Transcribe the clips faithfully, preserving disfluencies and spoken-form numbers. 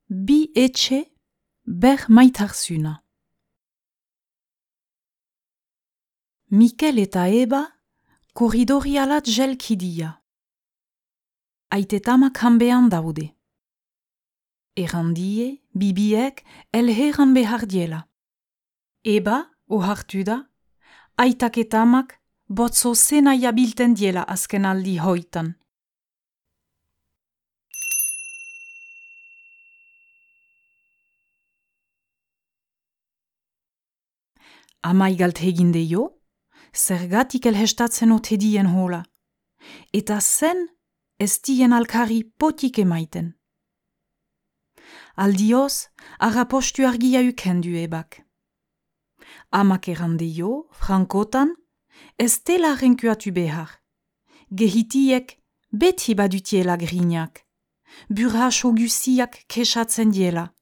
bi etxe ber maitarsuna. Mikel eta Eba korridorialat jelkidia. Aitetamak hanbean daude. Errandie, bibiek elheran behar diela. Eba, ohartu da, aitak eta amak botzo zena jabilten diela azken aldi hoitan. Ama igalt heginde jo, zergatik elhestatzen otedien hola. Eta zen ez dien alkari potik emaiten. Aldioz, arrapostu argia ukendu ebak. Amak errande jo, frankotan, ez dela renkuatu behar. Gehitiek beti badutiela grinak. Burhaso guziak kesatzen diela.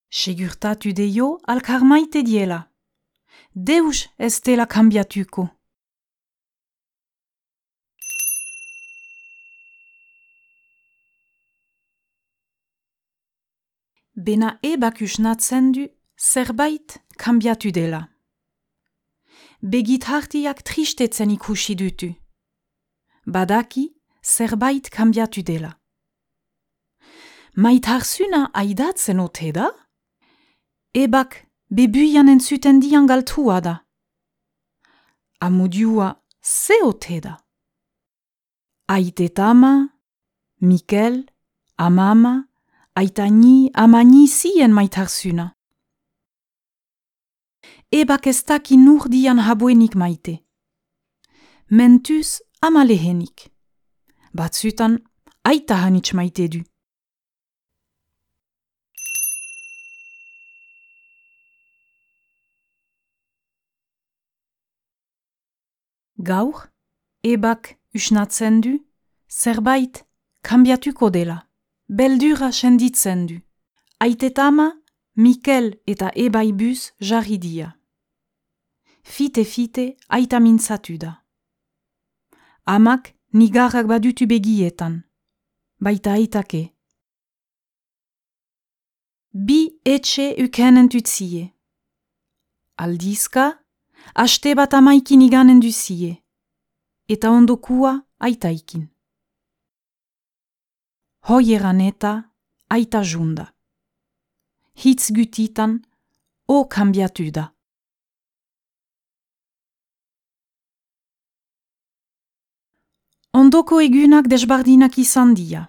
Segurtatu de jo alkar maite diela. Deus ez dela kambiatuko. Bena ebak usnatzen du zerbait kambiatu dela. Begit hartiak tristetzen ikusi dutu. Badaki zerbait kambiatu dela. Maitarsuna aidatzen ote da? Ebak bebuian entzuten dian galtua da. Amudiua ze ote da? Aitetama, Mikel, amama, aitani, amani zien maitarsuna. Ebak ez daki nur dian habuenik maite. Mentuz ama lehenik. Batzutan aita hanitz maite du. Gaur, ebak usnatzen du, zerbait kambiatuko dela. Beldura senditzen du. Aitetama, Mikel eta Eba ibuz jarri dia. Fite-fite aita mintzatu da. Amak nigarrak badutu begietan. Baita aitake. Bi etxe ukenen tutzie. Aldizka, aste bat amaikin iganen duzie. Eta ondokua aitaikin. Hoieran eta aita junda. Hitz gutitan o kambiatu da. Ondoko egunak desbardinak izan dia.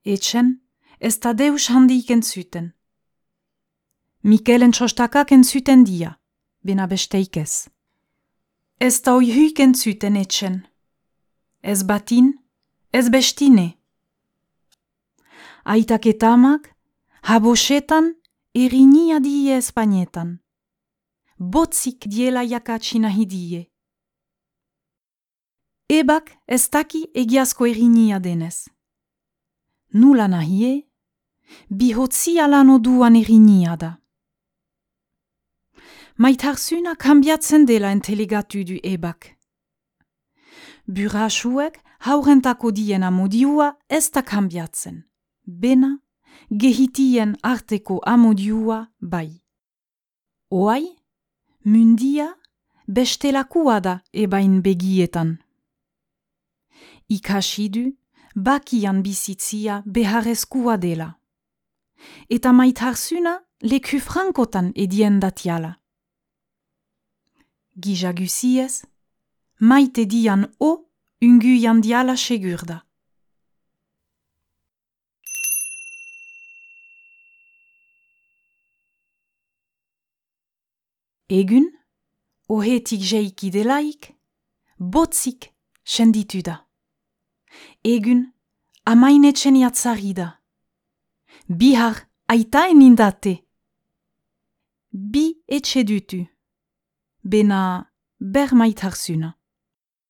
Etxen ez da deus handik entzuten. Mikelen txostakak entzuten dia, bena besteik ez. Ez da oihuik entzuten etxen. Ez batin, ez bestine. Aitak eta amak, habosetan erinia die espainetan. Botzik diela jakatsina hidie. Ebak ez daki egiazko erinia denez. Nula nahie, bihotzia lano duan erinia da. Maitarsuna kambiatzen dela entelegatu du ebak. Burasuek haurentako dien amodiua ez da kambiatzen. Bena, gehitien arteko amodiua bai. Oai, mundia bestelakua da ebain begietan. Ikasidu, bakian bizitzia beharrezkua dela. Eta maitarsuna leku frankotan edien datiala. Gizaguziez, maite dian o unguian diala segurda. Egun, ohetik jeiki delaik, botzik senditu da. Egun, amainetxen jatzari da. Bihar aitaen indate. Bi etxe dutu. Bena ber maitarsuna.